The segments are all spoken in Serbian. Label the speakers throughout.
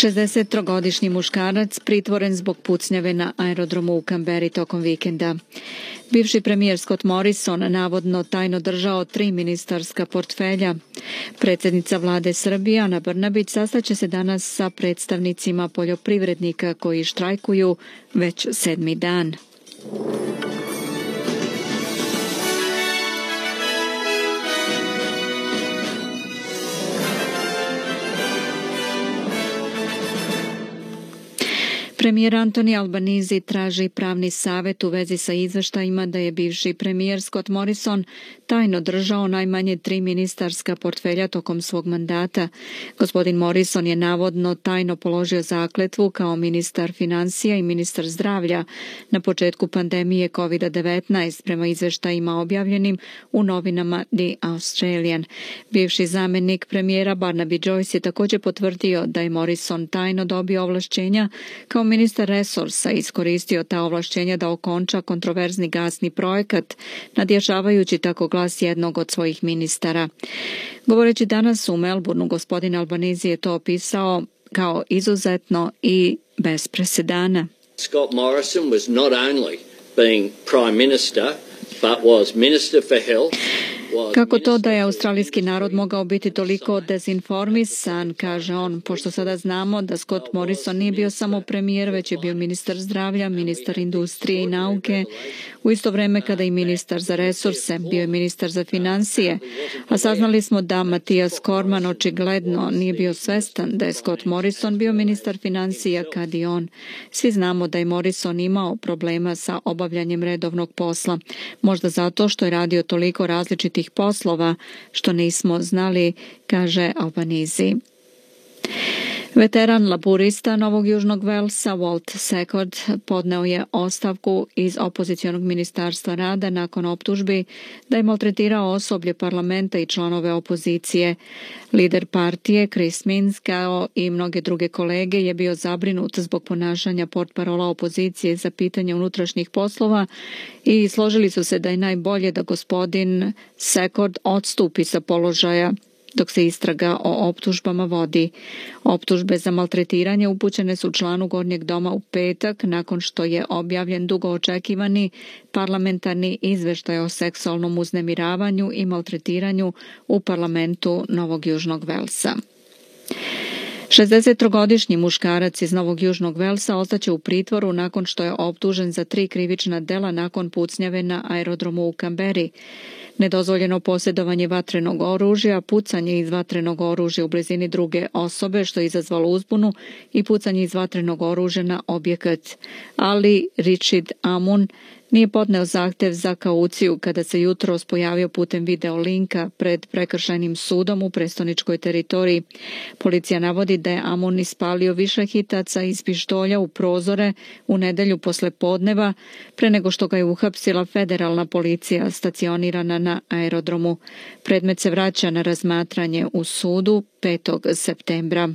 Speaker 1: 63-godišnji muškarac pritvoren zbog pucnjave na aerodromu u Kamberi tokom vikenda. Bivši premijer Scott Morrison navodno tajno držao 3 ministarska portfelja. Predsjednica vlade Srbije Ana Brnabić sastaće se danas sa predstavnicima poljoprivrednika koji štrajkuju već 7. dan. Premijer Anthony Albanese traži pravni savjet u vezi sa izveštajima da je bivši premijer Scott Morrison tajno držao najmanje 3 ministarska portfelja tokom svog mandata. Gospodin Morrison je navodno tajno položio zakletvu kao ministar financija i ministar zdravlja na početku pandemije COVID-19 prema izveštajima objavljenim u novinama The Australian. Bivši zamjenik premijera Barnaby Joyce je također potvrdio da je Morrison tajno dobio ovlašćenja kao ministar resursa iskoristio ta ovlašćenja da okonča kontroverzni gasni projekat, nadjačavajući tako glas jednog od svojih ministara. Govoreći danas u Melbourneu, gospodin Albanese je to opisao kao izuzetno i bez presedana.
Speaker 2: Scott Morrison was not only being Prime Minister, but was Minister for Health.
Speaker 1: Kako to da je australijski narod mogao biti toliko dezinformisan, kaže on, pošto sada znamo da Scott Morrison nije bio samo premijer, već je bio ministar zdravlja, ministar industrije i nauke, u isto vrijeme kada i ministar za resurse, bio je ministar za financije, a saznali smo da Mathias Cormann očigledno nije bio svestan da je Scott Morrison bio ministar financija kad i on. Svi znamo da je Morrison imao problema sa obavljanjem redovnog posla, možda zato što je radio toliko različitih poslova što nismo znali, kaže Albanese. Veteran laburista Novog Južnog Velsa Walt Secord podneo je ostavku iz opozicionog ministarstva rada nakon optužbi da je maltretirao osoblje parlamenta i članove opozicije. Lider partije Chris Minns kao i mnoge druge kolege je bio zabrinut zbog ponašanja portparola opozicije za pitanje unutrašnjih poslova i složili su se da je najbolje da gospodin Secord odstupi sa položaja dok se istraga o optužbama vodi. Optužbe za maltretiranje upućene su članu Gornjeg doma u petak nakon što je objavljen dugo očekivani parlamentarni izveštaj o seksualnom uznemiravanju i maltretiranju u parlamentu Novog Južnog Velsa. 63-godišnji muškarac iz Novog Južnog Velsa ostaće u pritvoru nakon što je optužen za 3 krivična dela nakon pucnjave na aerodromu u Kamberi. Nedozvoljeno posjedovanje vatrenog oružja, pucanje iz vatrenog oružja u blizini druge osobe što je izazvalo uzbunu i pucanje iz vatrenog oružja na objekat. Ali Richard Amun nije podneo zahtjev za kauciju kada se jutros pojavio putem video linka pred prekršajnim sudom u prestoničkoj teritoriji. Policija navodi da je Amun ispalio više hitaca iz pištolja u prozore u nedjelju posle podneva pre nego što ga je uhapsila federalna policija stacionirana na aerodromu. Predmet se vraća na razmatranje u sudu 5. septembra.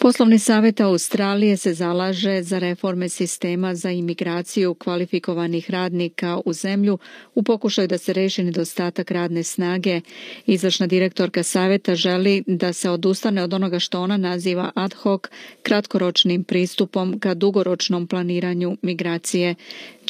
Speaker 1: Poslovni savjet Australije se zalaže za reforme sistema za imigraciju kvalifikovanih radnika u zemlju u pokušaju da se reši nedostatak radne snage. Izvršna direktorka savjeta želi da se odustane od onoga što ona naziva ad hoc kratkoročnim pristupom ka dugoročnom planiranju migracije.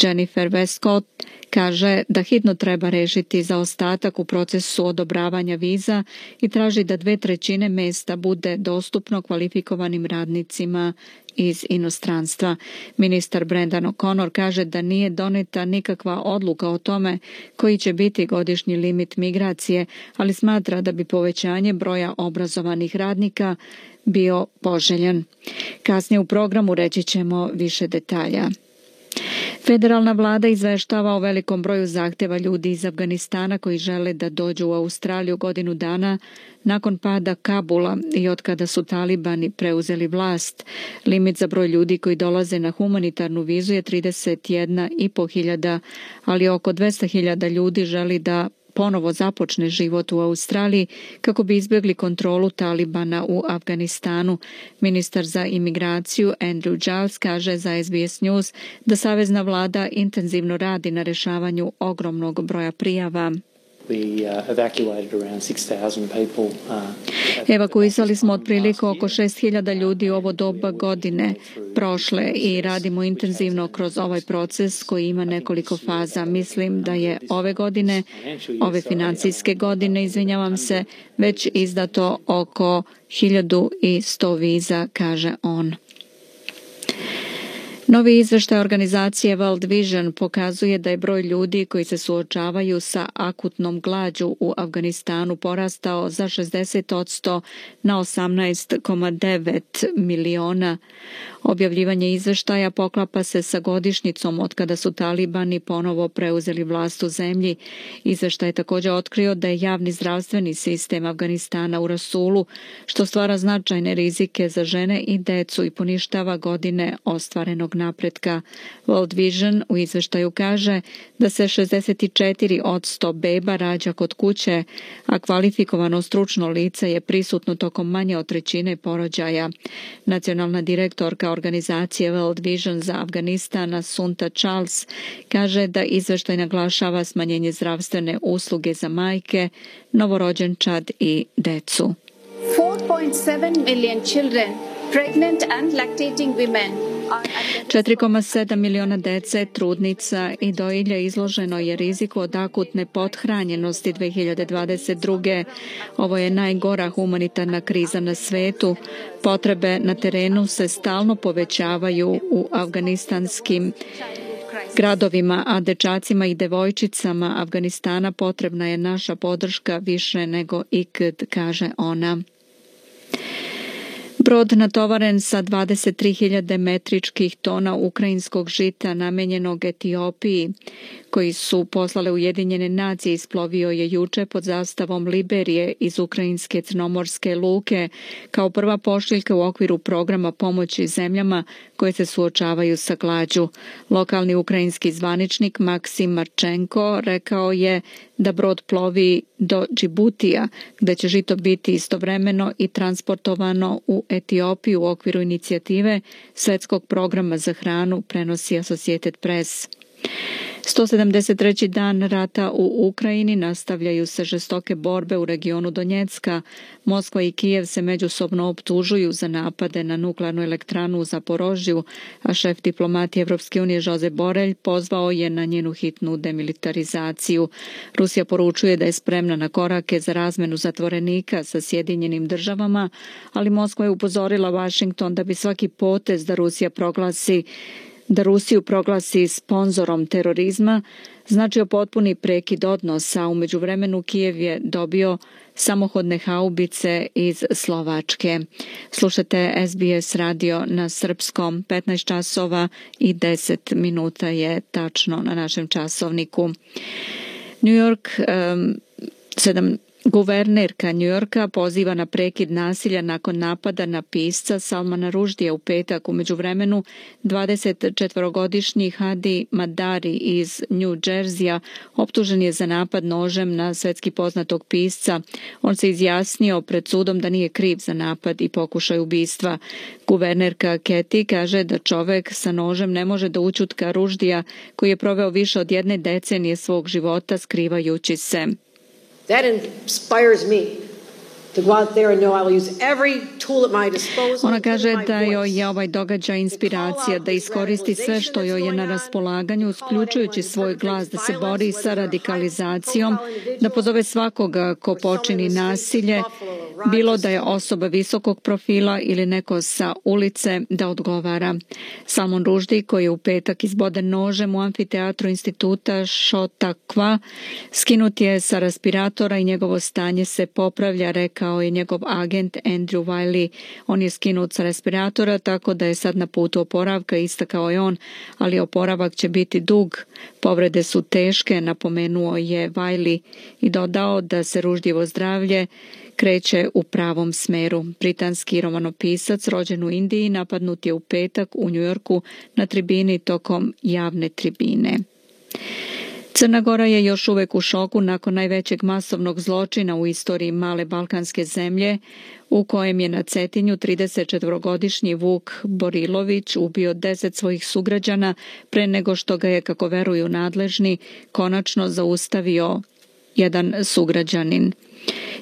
Speaker 1: Jennifer Westcott kaže da hitno treba rešiti zaostatak u procesu odobravanja viza i traži da 2/3 mjesta bude dostupno kvalifikovanim radnicima iz inostranstva. Ministar Brendan O'Connor kaže da nije doneta nikakva odluka o tome koji će biti godišnji limit migracije, ali smatra da bi povećanje broja obrazovanih radnika bio poželjan. Kasnije u programu reći ćemo više detalja. Federalna vlada izveštava o velikom broju zahtjeva ljudi iz Afganistana koji žele da dođu u Australiju godinu dana nakon pada Kabula i otkada su talibani preuzeli vlast. Limit za broj ljudi koji dolaze na humanitarnu vizu je 31.500, ali oko 200.000 ljudi želi da ponovo započne život u Australiji kako bi izbjegli kontrolu talibana u Afganistanu. Ministar za imigraciju Andrew Giles kaže za SBS News da savezna vlada intenzivno radi na rješavanju ogromnog broja prijava. Evakuisali smo otprilike oko 6.000 ljudi u ovo doba godine prošle i radimo intenzivno kroz ovaj proces koji ima nekoliko faza. Mislim da je ove financijske godine, već izdato oko 1.100 viza, kaže on. Novi izveštaj organizacije World Vision pokazuje da je broj ljudi koji se suočavaju sa akutnom glađu u Afganistanu porastao za 60% na 18,9 miliona. Objavljivanje izveštaja poklapa se sa godišnjicom od kada su talibani ponovo preuzeli vlast u zemlji. Izveštaj je također otkrio da je javni zdravstveni sistem Afganistana u rasulu, što stvara značajne rizike za žene i decu i poništava godine ostvarenog napretka. World Vision u izveštaju kaže da se 64% beba rađa kod kuće, a kvalifikovano stručno lice je prisutno tokom manje od trećine porođaja. Nacionalna direktorka organizacije World Vision za Afganistan, Sunta Charles, kaže da izveštaj naglašava smanjenje zdravstvene usluge za majke, novorođenčad i decu.
Speaker 3: 4.7 million children, pregnant and lactating women
Speaker 1: 4,7 miliona dece, trudnica i dojilja izloženo je riziku od akutne pothranjenosti 2022. Ovo je najgora humanitarna kriza na svetu. Potrebe na terenu se stalno povećavaju u afganistanskim gradovima, a dečacima i devojčicama Afganistana potrebna je naša podrška više nego ikad, kaže ona. Brod natovaren sa 23.000 metričkih tona ukrajinskog žita namenjenog Etiopiji, koji su poslale Ujedinjene nacije, isplovio je juče pod zastavom Liberije iz ukrajinske crnomorske luke kao prva pošiljka u okviru programa pomoći zemljama koje se suočavaju sa glađu. Lokalni ukrajinski zvaničnik Maksim Marčenko rekao je da brod plovi do Džibutija, gde će žito biti istovremeno i transportovano u Etiopiju u okviru inicijative Svetskog programa za hranu, prenosi Associated Press. 173. dan rata u Ukrajini, nastavljaju se žestoke borbe u regionu Donjecka. Moskva i Kijev se međusobno optužuju za napade na nuklearnu elektranu u Zaporožju, a šef diplomatije Evropske unije Josep Borrell pozvao je na njenu hitnu demilitarizaciju. Rusija poručuje da je spremna na korake za razmenu zatvorenika sa Sjedinjenim državama, ali Moskva je upozorila Washington da bi svaki potez da Rusiju proglasi sponzorom terorizma značio potpuni prekid odnosa. U međuvremenu Kijev je dobio samohodne haubice iz Slovačke. Slušate SBS radio na srpskom. 15 časova i 10 minuta je tačno na našem časovniku. New York, Guvernerka New Yorka poziva na prekid nasilja nakon napada na pisca Salmana Rushdija u petak. U međuvremenu 24-godišnji Hadi Madari iz New Jerseya optužen je za napad nožem na svetski poznatog pisca. On se izjasnio pred sudom da nije kriv za napad i pokušaj ubistva. Guvernerka Kathy kaže da čovek sa nožem ne može da ućutka Rushdija, koji je proveo više od 1 decenije svog života skrivajući se.
Speaker 4: That inspires me to go out there and know I will use every tool at my disposal.
Speaker 1: Ona kaže da joj je ovaj događaj inspiracija da iskoristi sve što joj je na raspolaganju, uključujući svoj glas, da se bori sa radikalizacijom, da pozove svakoga ko počini nasilje, bilo da je osoba visokog profila ili neko sa ulice, da odgovara. Salman Rushdie, koji je u petak izboden nožem u amfiteatru instituta Chautauqua, skinut je sa respiratora i njegovo stanje se popravlja, rekao je njegov agent Andrew Wiley. On je skinut sa respiratora, tako da je sad na putu oporavka, istakao je on, ali oporavak će biti dug. Povrede su teške, napomenuo je Wiley i dodao da se Rushdievo zdravlje kreće u pravom smeru. Britanski romanopisac rođen u Indiji napadnut je u petak u Njujorku na tribini tokom javne tribine. Crna Gora je još uvek u šoku nakon najvećeg masovnog zločina u istoriji male balkanske zemlje, u kojem je na Cetinju 34-godišnji Vuk Borilović ubio 10 svojih sugrađana pre nego što ga je, kako veruju nadležni, konačno zaustavio jedan sugrađanin.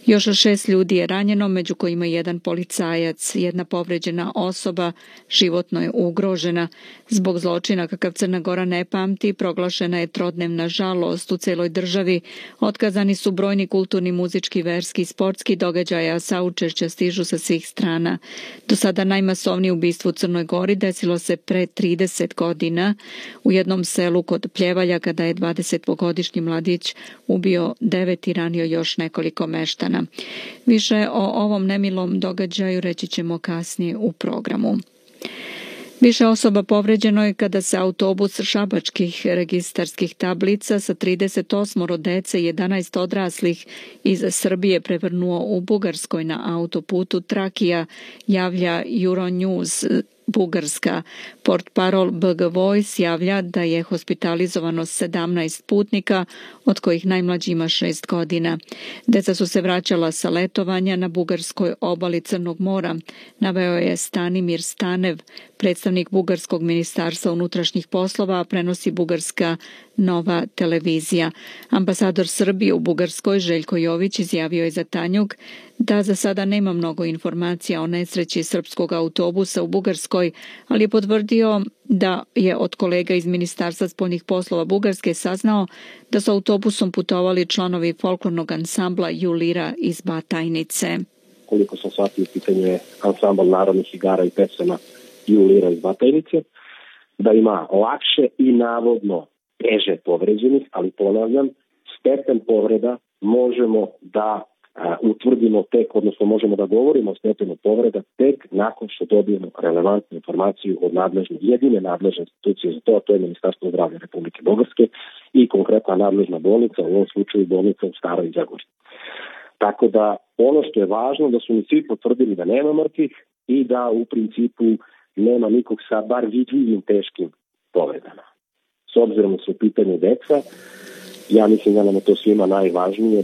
Speaker 1: Još 6 ljudi je ranjeno, među kojima jedan policajac. Jedna povređena osoba životno je ugrožena. Zbog zločina kakav Crna Gora ne pamti, proglašena je trodnevna žalost u celoj državi. Otkazani su brojni kulturni, muzički, verski i sportski događaji, a saučešća stižu sa svih strana. Do sada najmasovnije ubistvo u Crnoj Gori desilo se pre 30 godina u jednom selu kod Pljevalja, kada je 20-godišnji mladić ubio 9 i ranio još nekoliko meštana. Više o ovom nemilom događaju reći ćemo kasnije u programu. Više osoba povređeno je kada se autobus šabačkih registarskih tablica sa 38 dece i 11 odraslih iz Srbije prevrnuo u Bugarskoj na autoputu Trakija, javlja Euronews Bugarska. Portparol BG Voice javlja da je hospitalizovano 17 putnika, od kojih najmlađi ima 6 godina. Deca su se vraćala sa letovanja na bugarskoj obali Crnog mora, naveo je Stanimir Stanev, predstavnik Bugarskog ministarstva unutrašnjih poslova, a prenosi bugarska Nova televizija. Ambasador Srbije u Bugarskoj Željko Jović izjavio je za Tanjug da za sada nema mnogo informacija o nesreći srpskog autobusa u Bugarskoj, ali je potvrdio da je od kolega iz Ministarstva spoljnih poslova Bugarske saznao da su autobusom putovali članovi folklornog ansambla Julira iz Batajnice.
Speaker 5: Koliko sam shvatio, pitanje je ansambl narodnih igara i pesama Julira iz Batajnice, da ima lakše i navodno teže povređenih, ali ponavljam, stepen povreda možemo da utvrdimo tek, odnosno možemo da govorimo o stepenu povreda tek nakon što dobijemo relevantnu informaciju od jedine nadležne institucije za to, a to je Ministarstvo zdravlja Republike Bugarske i konkretna nadležna bolnica, u ovom slučaju bolnica u Staroj Zagori. Tako da ono što je važno da su mi svi potvrdili da nema mrtvih i da u principu nema nikog sa bar vidljivim teškim povredama. S obzirom da su u pitanju deca, ja mislim da nam je to svima najvažnije.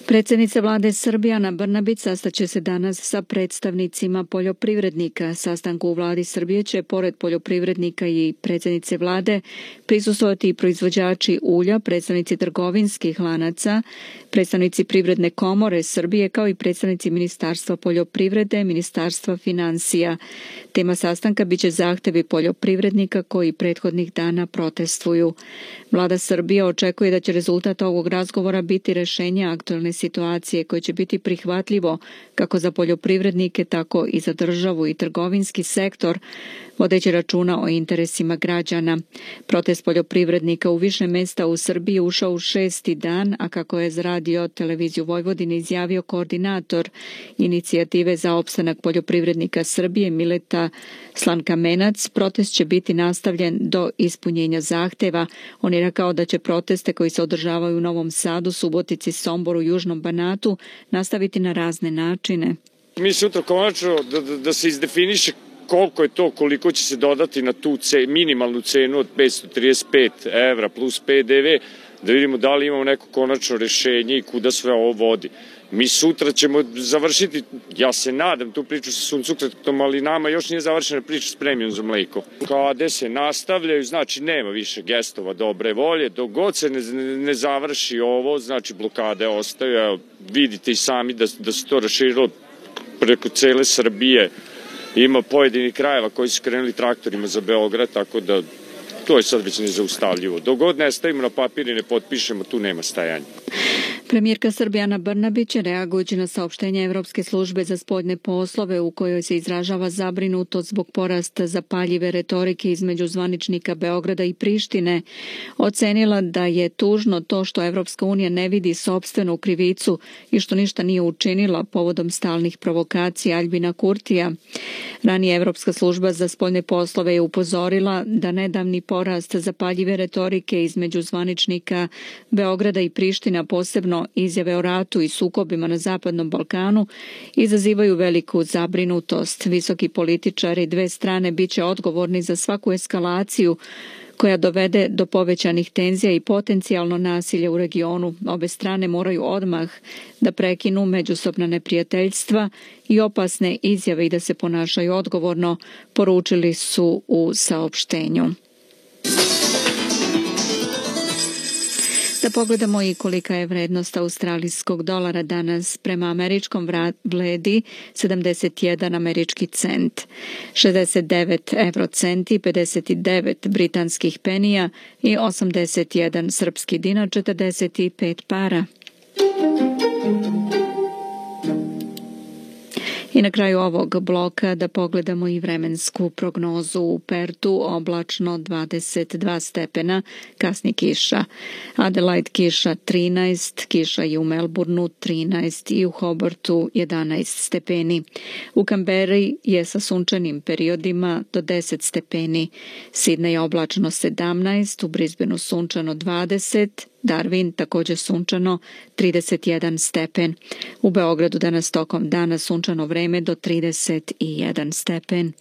Speaker 1: Predsjednica vlade Srbije Ana Brnabić sastaće se danas sa predstavnicima poljoprivrednika. Sastanku u vladi Srbije će, pored poljoprivrednika i predsjednice vlade, prisustvovati i proizvođači ulja, predstavnici trgovinskih lanaca, predstavnici Privredne komore Srbije, kao i predstavnici Ministarstva poljoprivrede, Ministarstva financija. Tema sastanka biće zahtevi poljoprivrednika koji prethodnih dana protestuju. Vlada Srbije očekuje da će rezultat ovog razgovora biti rešenje aktualne situacije koje će biti prihvatljivo kako za poljoprivrednike, tako i za državu i trgovinski sektor, vodeći računa o interesima građana. Protest poljoprivrednika u više mesta u Srbiji ušao u 6. dan, a kako je za Radio televiziju Vojvodine izjavio koordinator inicijative za opstanak poljoprivrednika Srbije Mileta Slankamenac, protest će biti nastavljen do ispunjenja zahteva. On je rekao da će proteste koji se održavaju u Novom Sadu, Subotici, Somboru, Južnom Banatu nastaviti na razne načine.
Speaker 6: Mi sutra konačno da se izdefiniše koliko je to, koliko će se dodati na tu minimalnu cenu od 535 evra plus PDV, da vidimo da li imamo neko konačno rešenje i kuda sve ovo vodi. Mi sutra ćemo završiti, ja se nadam, tu priču sa suncokretom, ali nama još nije završena priča s premijom za mleko. Kada se nastavljaju, znači nema više gestova dobre volje, dok god se ne završi ovo, znači blokade ostaju. Evo, vidite i sami da se to raširilo preko cele Srbije. Ima pojedini krajeva koji su krenuli traktorima za Beograd, tako da to je sad već nezaustavljivo. Dok god ne stavimo na papir i ne potpišemo, tu nema stajanja.
Speaker 1: Premijerka Srbije Ana Brnabić, reagujući na saopštenje Evropske službe za spoljne poslove u kojoj se izražava zabrinutost zbog porasta zapaljive retorike između zvaničnika Beograda i Prištine, ocenila da je tužno to što Evropska unija ne vidi sopstvenu krivicu i što ništa nije učinila povodom stalnih provokacija Aljbina Kurtija. Ranije Evropska služba za spoljne poslove je upozorila da nedavni porast zapaljive retorike između zvaničnika Beograda i Priština, posebno izjave o ratu i sukobima na Zapadnom Balkanu, izazivaju veliku zabrinutost. Visoki političari dve strane biće odgovorni za svaku eskalaciju koja dovede do povećanih tenzija i potencijalno nasilje u regionu. Obe strane moraju odmah da prekinu međusobna neprijateljstva i opasne izjave i da se ponašaju odgovorno, poručili su u saopštenju. Da pogledamo i kolika je vrednost australijskog dolara danas. Prema američkom vredi 71 američki cent, 69 eurocenti, 59 britanskih penija i 81 srpski dinar, 45 para. I na kraju ovog bloka da pogledamo i vremensku prognozu. U Pertu oblačno 22 stepena, kasni kiša. Adelaide kiša 13, kiša i u Melbourneu 13 i u Hobartu 11 stepeni. U Kamberi je sa sunčanim periodima do 10 stepeni. Sidney oblačno 17, u Brisbaneu sunčano 20, Darwin također sunčano 31 stepen. U Beogradu danas tokom dana sunčano vreme do 31 stepen.